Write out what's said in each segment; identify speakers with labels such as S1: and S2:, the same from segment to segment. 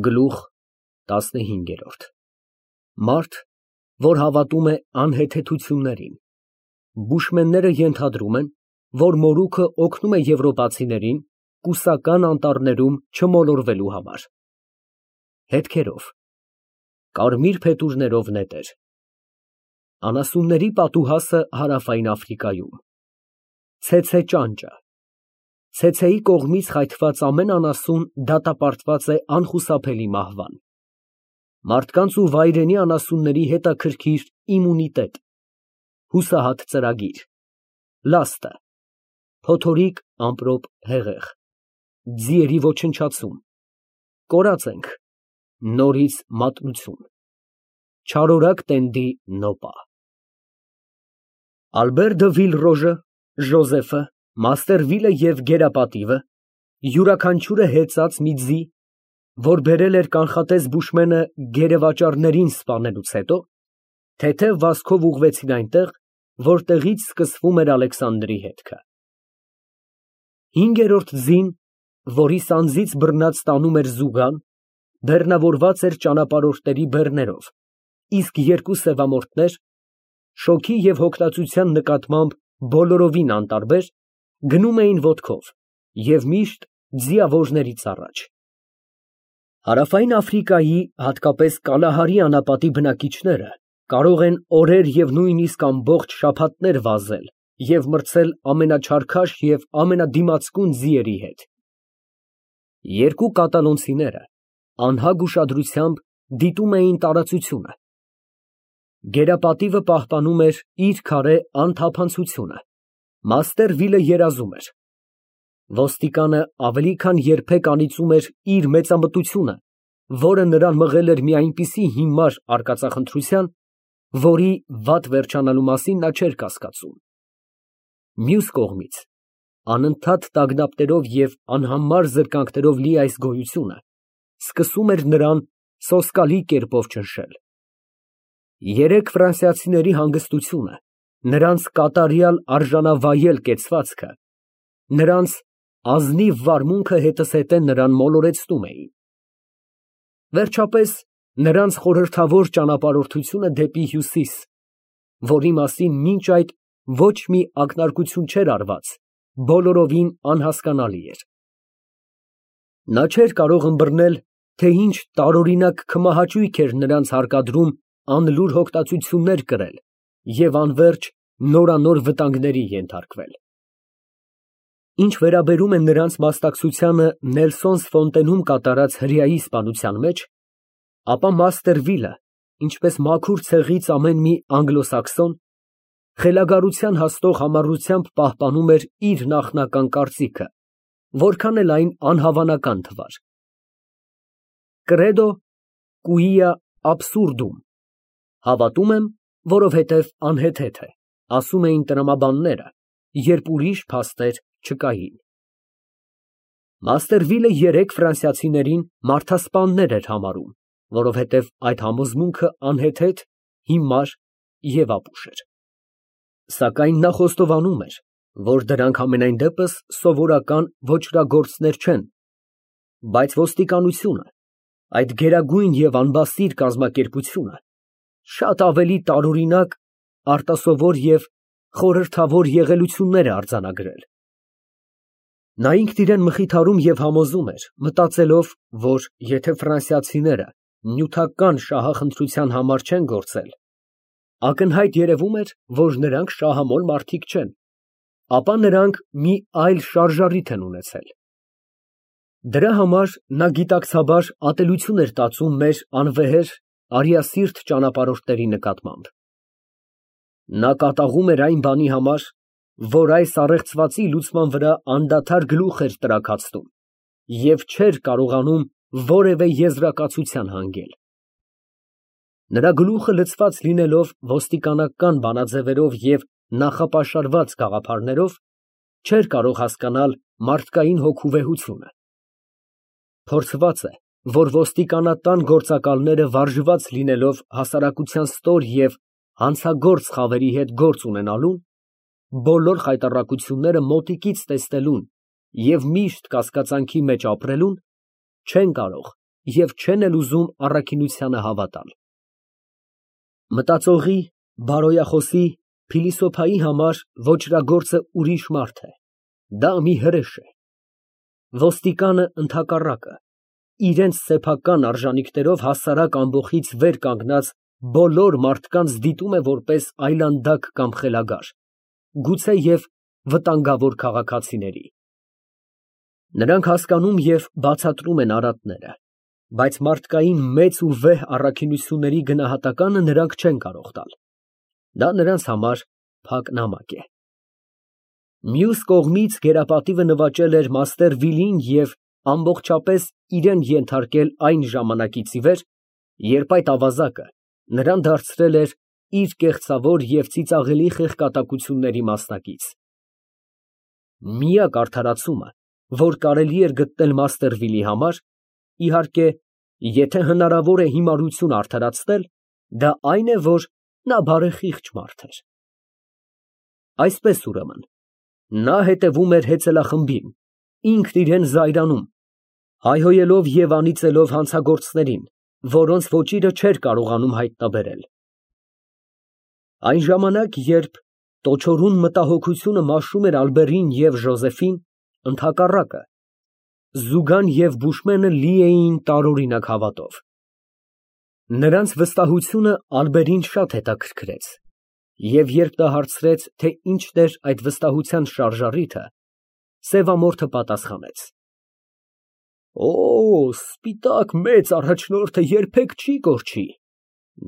S1: Գլուխ ՏԱՍՆՀԻՆԳԵՐՈՐԴ Մարդ, որ հավատում է անհեթեթություններին։ Բուշմենները ենթադրում են, որ մորուքը օգնում է եվրոպացիներին կուսական անտառներում չմոլորվելու համար։ Հետքերով, կարմիր փետուրներով նետեր։ Անասունների պատուհասը Հարավային Աֆրիկայում։ Ցեցե ճանճը։ Ցեցեի կողմից խայթված ամեն անասուն դատապարտված է անխուսափելի մահվան։ Մարդկանց ու վայրենի անասունների հետաքրքիր իմունիտետ։ Հուսահատ ծրագիր։ Լաստը։ Փոթորիկ ամպրոպ հեղեղ։ Ձիերի ոչնչացում։ Կորած ենք։ Նորից մատնություն։ Չարորակ տենդի նոպա։ Ալբեր դը Վիլռոժը, Ժոզեֆը, Մաստերվիլը և գերապատիվը, յուրաքանչյուրը հեծած մի ձի, որ բերել էր կանխատես բուշմենը գերեվաճառներին սպանելուց հետո, թեթև վազքով ուղղվեցին այնտեղ, որտեղից սկսվում էր Ալեքսանդրի հետքը։ Հինգերորդ ձին, որի սանձից բռնած տանում էր զուգան, բեռնավորված էր ճանապարհորդների բեռներով, իսկ երկու սևամորթներ, շոգի և հոգնածության նկատմամբ բոլորովին անտարբեր, գնում էին ոտքով և միշտ ձիավորներից առաջ։ Հարավային Աֆրիկայի, հատկապես Կալահարի անապատի բնակիչները կարող են օրեր և նույնիսկ ամբողջ շաբաթներ վազել և մրցել ամենաչարքաշ և ամենադիմացկուն ձիերի հետ։ Երկու կատալոնցիները անհագ ուշադրությամբ դիտում էին տարածությունը։ Գերապատիվը պահպանում էր իր քարե անթափանցությունը, Մաստերվիլը երազում էր։ Ոստիկանը ավելի քան երբեք անիծում էր իր մեծամտությունը, որը նրան մղել էր մի այնպիսի հիմար արկածախնդրության, որի վատ վերջանալու մասին նա չէր կասկածում։ Մյուս կողմից, անընդհատ տագնապներով և անհամար զրկանքներով լի այս գոյությունը սկսում էր նրան սոսկալի կերպով ճնշել։ Երեք ֆրանսիացիների հանգստությունը, նրանց կատարյալ արժանավայել կեցվածքը, նրանց ազնիվ վարմունքը հետզհետե նրան մոլորեցնում էին։ Վերջապես, նրանց խորհրդավոր ճանապարհորդությունը դեպի հյուսիս, որի մասին մինչ այդ ոչ մի ակնարկություն չէր արված, բոլորովին անհասկանալի էր։ Նա չէր կարող ըմբռնել, թե ինչ տարօրինակ քմահաճույք էր նրանց հարկադրում անլուր հոգնածություններ կրել և անվերջ նորանոր վտանգների ենթարկվել։ Ինչ վերաբերում է նրանց մասնակցությանը Նելսոնս Ֆոնտենում կատարած հրեայի սպանության մեջ, ապա Մաստերվիլը, ինչպես մաքուր ցեղից ամեն մի անգլոսաքսոն, խելագարության հասնող համառությամբ պահպանում էր իր նախնական կարծիքը, որքան էլ այն անհավանական թվար։ Credo quia absurdum, հավատում եմ, որովհետև անհեթեթ է, ասում էին տրամաբանները, երբ ուրիշ փաստեր չկային։ Մաստերվիլը երեք ֆրանսիացիներին մարդասպաններ էր համարում, որովհետև այդ համոզմունքը անհեթեթ, հիմար և ապուշ էր։ Սակայն նա խոստովանում էր, որ դրանք համենայն դեպս սովորական ոճրագործներ չեն, բայց ոստիկանությունը, այդ գերագույն և անբասիր կազմակերպությունը, շատ ավելի տարօրինակ, արտասովոր և խորհրդավոր եղելություններ է արձանագրել։ Նա ինքն իրան մխիթարում և համոզում էր, մտածելով, որ եթե ֆրանսիացիները նյութական շահախնդրության համար չեն գործել, ակնհայտ երևում էր, որ նրանք շահամոլ մարդիկ չեն, ապա նրանք մի այլ շարժառիթ են ունեցել։ Դրա համար նա գիտակցաբար ատելություն էր տածում մեր անվեհեր, արիասիրտ ճանապարհորդների նկատմամբ։ Նա կատաղում էր այն բանի համար, որ այս առեղծվածի լուծման վրա անդադար գլուխ էր տրաքացնում և չէր կարողանում որևէ եզրակացության հանգել։ Նրա գլուխը լցված լինելով ոստիկանական բանաձևերով և նախապաշարված գաղափարներով, չէր կարող հասկանալ մարդկային հոգու վեհությունը։ Փորձված է, որ ոստիկանական գործակալները վարժված լինելով հասարակության ստոր և հանցագործ խավերի հետ գործ ունենալուն, բոլոր խայտառակությունները մոտիկից տեսնելուն և միշտ կասկածանքի մեջ ապրելուն, չեն կարող և չեն էլ ուզում առաքինությանը հավատալ։ Մտածողի, բարոյախոսի, փիլիսոփայի համար ոճրագործը ուրիշ մարդ է, դա մի հրեշ է։ Ոստիկանը ընդհակառակը, իրենց սեփական արժանիքներով հասարակ ամբոխից վեր կանգնած բոլոր մարդկանց դիտում է որպես այլանդակ կամ խելագար, գուցե և վտանգավոր քաղաքացիների։ Նրանք հասկանում և բացատրում են արատները, բայց մարդկային մեծ ու վեհ առաքինությունների գնահատականը նրանք չեն կարող տալ։ Դա նրանց համար փակ նամակ է։ Մյուս կողմից գերապատիվը նվաճել էր մաստեր Վիլին և ամբողջապես իրան ենթարկել այն ժամանակից ի վեր, երբ այդ ավազակը նրան դարձրել էր իր կեղծավոր և ծիծաղելի խեղկատակությունների մասնակից։ Միակ արդարացումը, որ կարելի էր գտնել մաստեր Վիլի համար, իհարկե, եթե հնարավոր է հիմարությունը արդարացնել, դա այն է, որ նա բարեխիղճ մարդ էր։ Այսպես ուրեմն, նա հետևում էր հեծելախմբին, ինքն իրան զայրանում, հայհոյելով և անիծելով հանցագործներին, որոնց ոճիրը չէր կարողանում հայտնաբերել։ Այն ժամանակ, երբ տոչորուն մտահոգությունը մաշում էր Ալբերին և Ժոզեֆին, ընդհակառակը, Զուգան և Բուշմենը լի էին տարօրինակ հավատով։ Նրանց վստահությունը Ալբերին շատ հետաքրքրեց, և երբ նա հարցրեց, թե ինչն էր այդ վստահության շարժառիթը, սևամորթը պատասխանեց. Օ, սպիտակ մեծ առաջնորդը երբեք չի կորչի,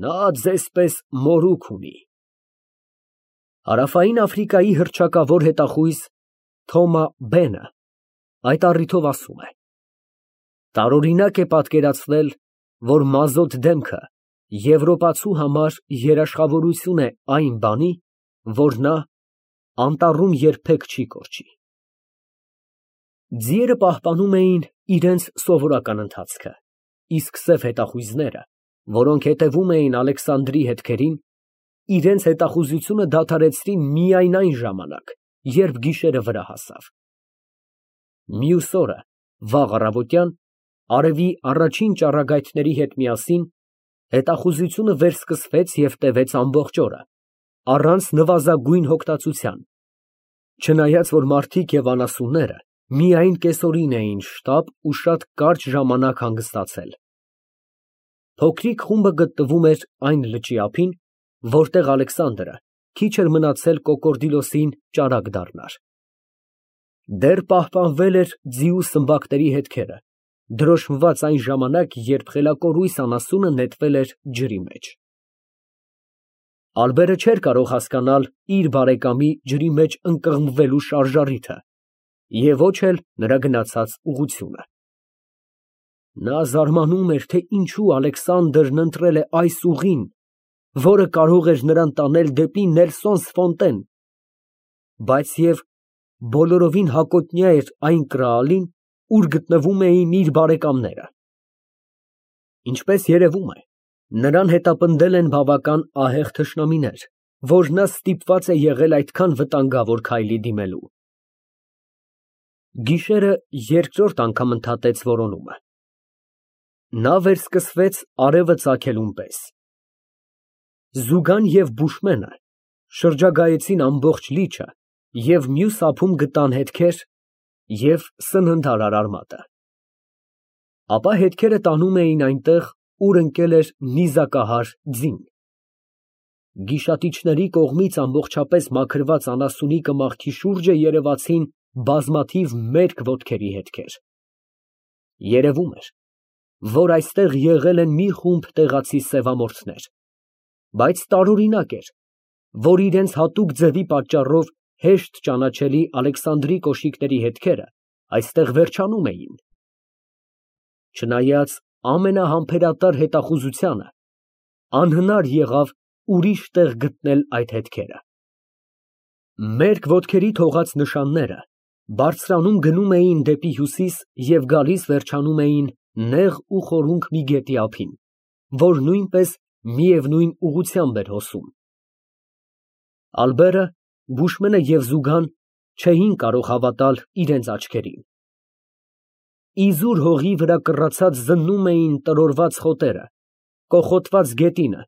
S1: նա ձեզ պես մորուք ունի։ Հարավային Աֆրիկայի հռչակավոր հետախույզ Թոմա Բենը այդ առիթով ասում է. տարօրինակ է պատկերացնել, որ մազոտ դեմքը եվրոպացու համար երաշխավորություն է այն բանի, որ նա անտառում երբեք չի կորչի։ Ձիերը պահպանում էին իրենց սովորական ընթացքը, իսկ սև հետախույզները, որոնք հետևում էին Ալեքսանդրի հետքերին, իրենց հետախուզությունը դադարեցրին միայն այն ժամանակ, երբ գիշերը վրա հասավ։ Մյուս օրը, վաղ առավոտյան, արևի առաջին ճառագայթների հետ միասին, հետախուզությունը վերսկսվեց և տևեց ամբողջ օրը, առանց նվազագույն հոգտածության, չնայած որ մարդիկ և անասունները միայն կեսօրին էին շտապ ու շատ կարճ ժամանակ հանգստացել։ Փոքրիկ խումբը գտնվում էր այն լճի ափին, որտեղ Ալեքսանդրը քիչ էր մնացել Կոկորդիլոսին ճարակ դառնար։ Դեռ պահպանվել էր ձիու սմբակների հետքերը, դրոշմված այն ժամանակ, երբ խելակորույս անասունը նետվել էր ջրի մեջ։ Ալբերը չէր կարող հասկանալ իր բարեկամի ջրի մեջ ընկղմվելու շարժառիթը և ոչ էլ նրա գնացած ուղղությունը։ Նա զարմանում էր, թե ինչու Ալեքսանդրն ընտրել է այս ուղին, որը կարող էր նրան տանել դեպի Նելսոնս Ֆոնտեն, բայց և բոլորովին հակոտնյա էր այն կրալին, ուր գտնվում էին իր բարեկամները։ Ինչպես երևում է, նրան հետապնդել են բավական ահեղ թշնամիներ, որ նա ստիպված է եղել այդքան վտանգավոր քայլի դիմելու։ Գիշերը երկրորդ անգամ ընդհատեց որոնումը։ Նա վերսկսվեց արևը ծագելուն պես։ Զուգան և Բուշմենը շրջագայեցին ամբողջ լիճը և մյուս ափում գտան հետքեր և սննդարար արմատը։ Ապա հետքերը տանում էին այնտեղ, ուր ընկել էր նիզակահար ձին։ Գիշատիչների կողմից ամբողջապես մաքրված անասունի կմախքի շուրջը երևացին բազմաթիվ մերկ ոտքերի հետքեր։ Երևում էր, որ այստեղ եղել են մի խումբ տեղացի սևամորթներ, բայց տարօրինակ էր, որ իրենց հատուկ ձևի պատճառով հեշտ ճանաչելի Ալեքսանդրի կոշիկների հետքերը այստեղ վերջանում էին։ Չնայած ամենահամբերատար հետախուզությանը, անհնար եղավ ուրիշ տեղ գտնել այդ հետքերը։ Մերկ ոտքերի թողած նշանները բարձրանում գնում էին դեպի հյուսիս և գալիս վերջանում էին նեղ ու խորունկ մի գետի ափին, որ նույնպես միևնույն ուղղությամբ էր հոսում։ Ալբերը, Բուշմենը և Զուգան չէին կարող հավատալ իրենց աչքերին։ իզուր հողի վրա կռացած զննում էին տրորված խոտերը, կոխոտված գետինը։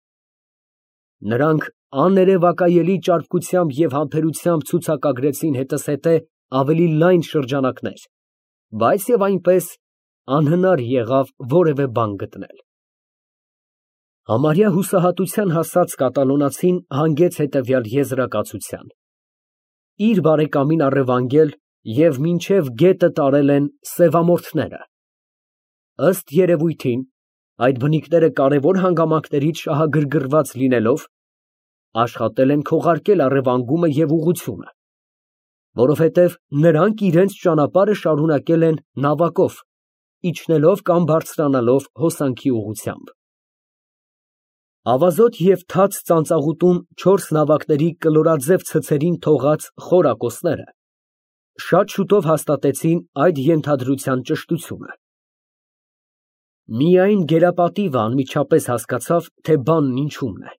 S1: Նրանք աներևակայելի ճարպկությամբ և համբերությամբ ցուցակագրեցին հետզհետե ավելի լայն շրջանակներ, բայց և այնպես անհնար եղավ որևէ բան գտնել։ Համարյա հուսահատության հասած կատալոնացին հանգեց հետևյալ եզրակացության. իր բարեկամին առևանգել և մինչև գետը տարել են սևամորթները։ Ըստ երևույթին, այդ բնիկները կարևոր հանգամանքներից շահագրգռված լինելով, աշխատել են քողարկել առևանգումը և ուղղությունը, որովհետև նրանք իրենց ճանապարհը շարունակել են նավակով, իջնելով կամ բարձրանալով հոսանքի ուղղությամբ։ Ավազոտ և թաց ծանծաղուտում 4 նավակների կլորաձև ցցերին թողած խորակոցները շատ շուտով հաստատեցին այդ ենթադրության ճշտությունը։ Միայն գերապատիվը անմիջապես հասկացավ, թե բանն ինչումն է։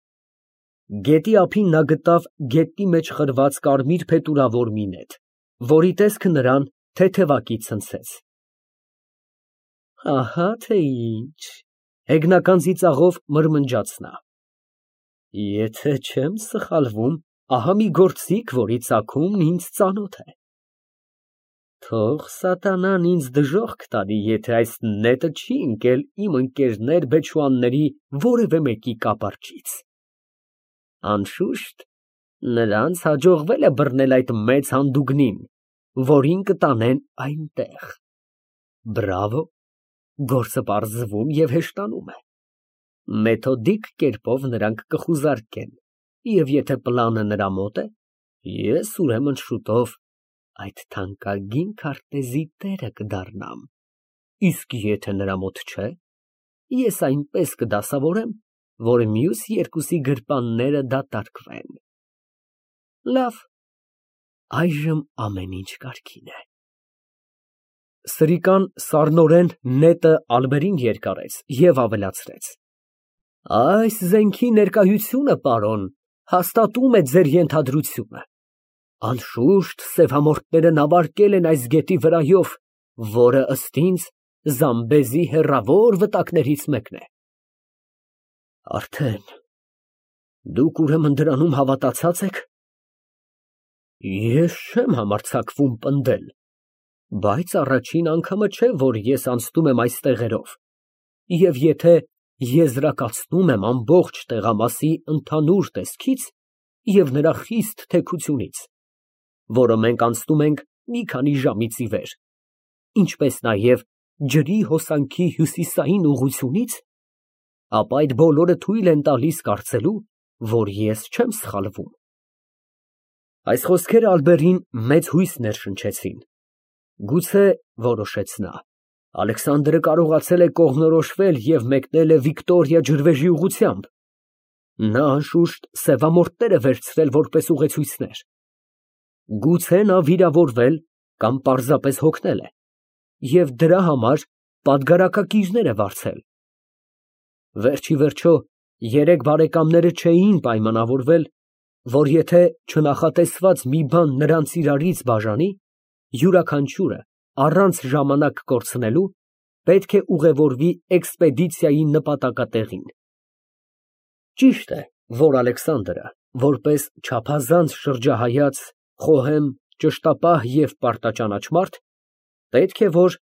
S1: Գետի ափին նա գտավ գետնի մեջ խրված կարմիր փետուրավոր մի նետ, որի տեսքը նրան թեթևակի ցնցեց։ Ահա թե ինչ, հեգնական ծիծաղով մրմնջաց նա։ Եթե չեմ սխալվում, ահա մի գործիք, որի ծագումն ինձ ծանոթ է։ Թող սատանան ինձ դժոխք տանի, եթե այս նետը չի ընկել իմ ընկերներ բեչուանների որևէ մեկի կապարճից։ Անշուշտ, նրանց հաջողվել է բռնել այդ մեծ հանդուգնին, որին կտանեն այնտեղ։ Բրավո, գործը պարզվում և հեշտանում է։ Մեթոդիկ կերպով նրանք կխուզարկեն, և եթե պլանը նրա մոտ է, ես ուրեմն շուտով այդ թանկագին քարտեզի տերը կդառնամ, իսկ եթե նրա մոտ չէ, ես այնպես կդասավորեմ, որ մյուս երկուսի գրպանները դատարկվեն։ Լավ, այժմ ամեն ինչ կարգին է։ Սրիկան սառնորեն նետը ալբերին երկարեց և ավելացրեց. Այս զենքի ներկայությունը, պարոն, հաստատում է ձեր ենթադրությունը։ Անշուշտ, սևամորթները նավարկել են այս գետի վրայով, որը ըստ ինձ Զամբեզի հեռավոր վտակներից մեկն է։ Արդեն դուք ուրեմն դրանում հավատացած եք։ Ես չեմ համարձակվում պնդել, բայց առաջին անգամը չէ, որ ես անցնում եմ այս տեղերով, և եթե եզրակացնում եմ ամբողջ տեղամասի ընդհանուր տեսքից և նրա խիստ թեքությունից, որը մենք անցնում ենք մի քանի ժամից ի վեր, ինչպես նաև ջրի հոսանքի հյուսիսային ուղղությունից, ապա այդ բոլորը թույլ են տալիս կարծելու, որ ես չեմ սխալվում։ Այս խոսքերը Ալբերտին մեծ հույս ներշնչեցին։ Գուցե, որոշեց նա, Ալեքսանդրը կարողացել է կողմնորոշվել և մեկնել է Վիկտորիա ջրվեժի ուղղությամբ։ Նա անշուշտ սևամորթներ է վերցրել որպես ուղեցույցներ։ Գուցե նա վիրավորվել կամ պարզապես հոգնել է և դրա համար պատգարակակիրներ է վարձել։ Վերջիվերջո, երեք բարեկամները չէին պայմանավորվել, որ եթե չնախատեսված մի բան նրանց իրարից բաժանի, յուրաքանչյուրը առանց ժամանակ կորցնելու պետք է ուղևորվի էքսպեդիցիայի նպատակատեղին։ Ճիշտ է, որ Ալեքսանդրը, որպես չափազանց շրջահայաց, խոհեմ, ճշտապահ և պարտաճանաչ մարդ, պետք է որ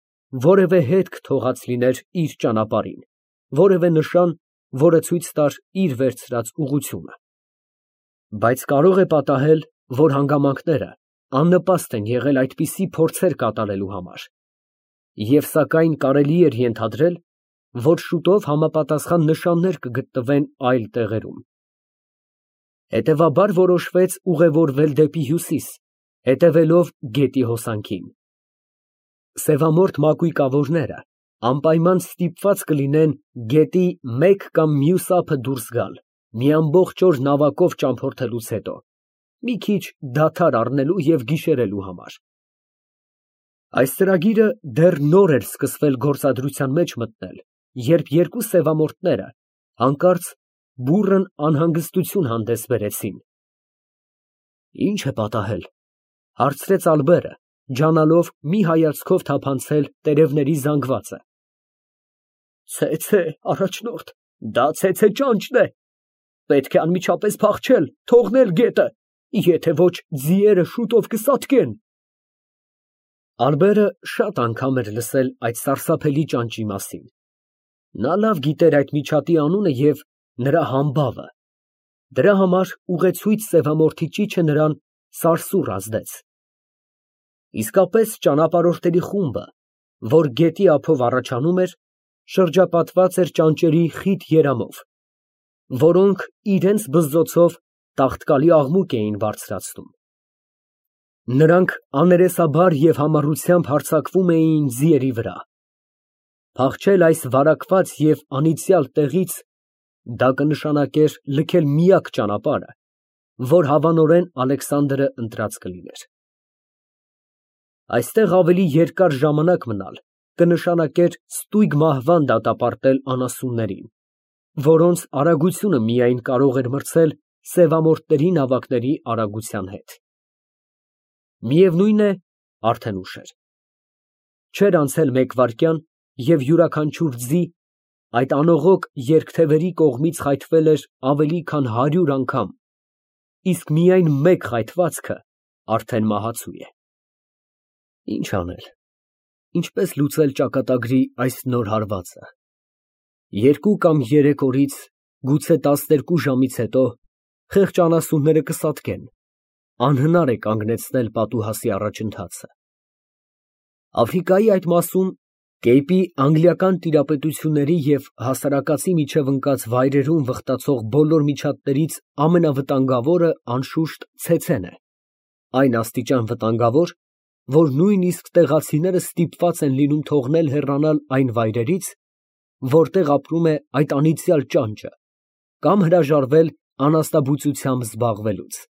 S1: որևէ հետք թողած լիներ իր ճանապարհին, որևէ նշան, որը ցույց տար իր վերցրած ուղղությունը։ Բայց կարող է պատահել, որ հանգամանքները աննպաստ են եղել այդպիսի փորձեր կատարելու համար, և սակայն կարելի էր ենթադրել, որ շուտով համապատասխան նշաններ կգտնվեն այլ տեղերում։ Հետևաբար որոշվեց ուղևորվել դեպի հյուսիս, հետևելով գետի հոսանքին։ Սևամորթ մակույկավորները անպայման ստիպված կլինեն գետի մեկ կամ մյուս ափը դուրս գալ, մի ամբողջ օր նավակով ճամփորդելուց հետո, մի քիչ դադար առնելու և գիշերելու համար։ Այս ծրագիրը դեռ նոր էր սկսվել գործադրության մեջ մտնել, երբ երկու սևամորթները հանկարծ բուռն անհանգստություն հանդես բերեցին։ Ի՞նչ է պատահել, ֊ հարցրեց Ալբերը, ջանալով մի հայացքով թափանցել տերևների զանգվածը։ Ցե, առաջնորդ, դա ցեցե ճանճն է, պետք է անմիջապես փախչել, թողնել գետը, եթե ոչ ձիերը շուտով կսատկեն։ Ալբերը շատ անգամ էր լսել այդ սարսափելի ճանճի մասին։ Նա լավ գիտեր այդ միջատի անունը և նրա համբավը, դրա համար ուղեցույց սևամորթի ճիչը նրան սարսուռ ազդեց։ Իսկապես ճանապարհորդների խումբը, որ գետի ափով առաջանում էր, շրջապատված էր ճանճերի խիտ երամով, որոնք իրենց բզզոցով տաղտկալի աղմուկ էին բարձրացնում։ Նրանք աներեսաբար և համառությամբ հարձակվում էին ձիերի վրա։ Փախչել այս վարակված և անիծյալ տեղից, դա կնշանակեր լքել միակ ճանապարհը, որ հավանորեն Ալեքսանդրը ընտրած կլիներ։ Այստեղ ավելի երկար ժամանակ մնալ կնշանակեր ստույգ մահվան դատապարտել անասուններին, որոնց արագությունը միայն կարող էր մրցել սևամորթների նավակների արագության հետ։ Միևնույն է, արդեն ուշ էր։ Չէր անցել մեկ վայրկյան, և յուրաքանչյուր ձի այդ անողոք երկթևերի կողմից խայթվել էր ավելի քան 100 անգամ, իսկ միայն մեկ խայթվածքը արդեն մահացու է։ Ինչ անել, ինչպես լուծել ճակատագրի այս նոր հարվածը։ 2 կամ 3 օրից, գուցե 12 ժամից հետո խեղճ անասունները կսատկեն, անհնար է կանգնեցնել պատուհասի առաջընթացը։ Աֆրիկայի այդ մասում, Կեյպի անգլիական տիրապետությունների և հասարակածի միջև ընկած վայրերում վխտացող բոլոր միջատներից ամենավտանգավորը, անշուշտ, ցեցեն է, այն աստիճան վտանգավոր, որ նույնիսկ տեղացիները ստիպված են լինում թողնել հեռանալ այն վայրերից, որտեղ ապրում է այդ անիծյալ ճանճը, կամ հրաժարվել անասնաբուծությամբ զբաղվելուց։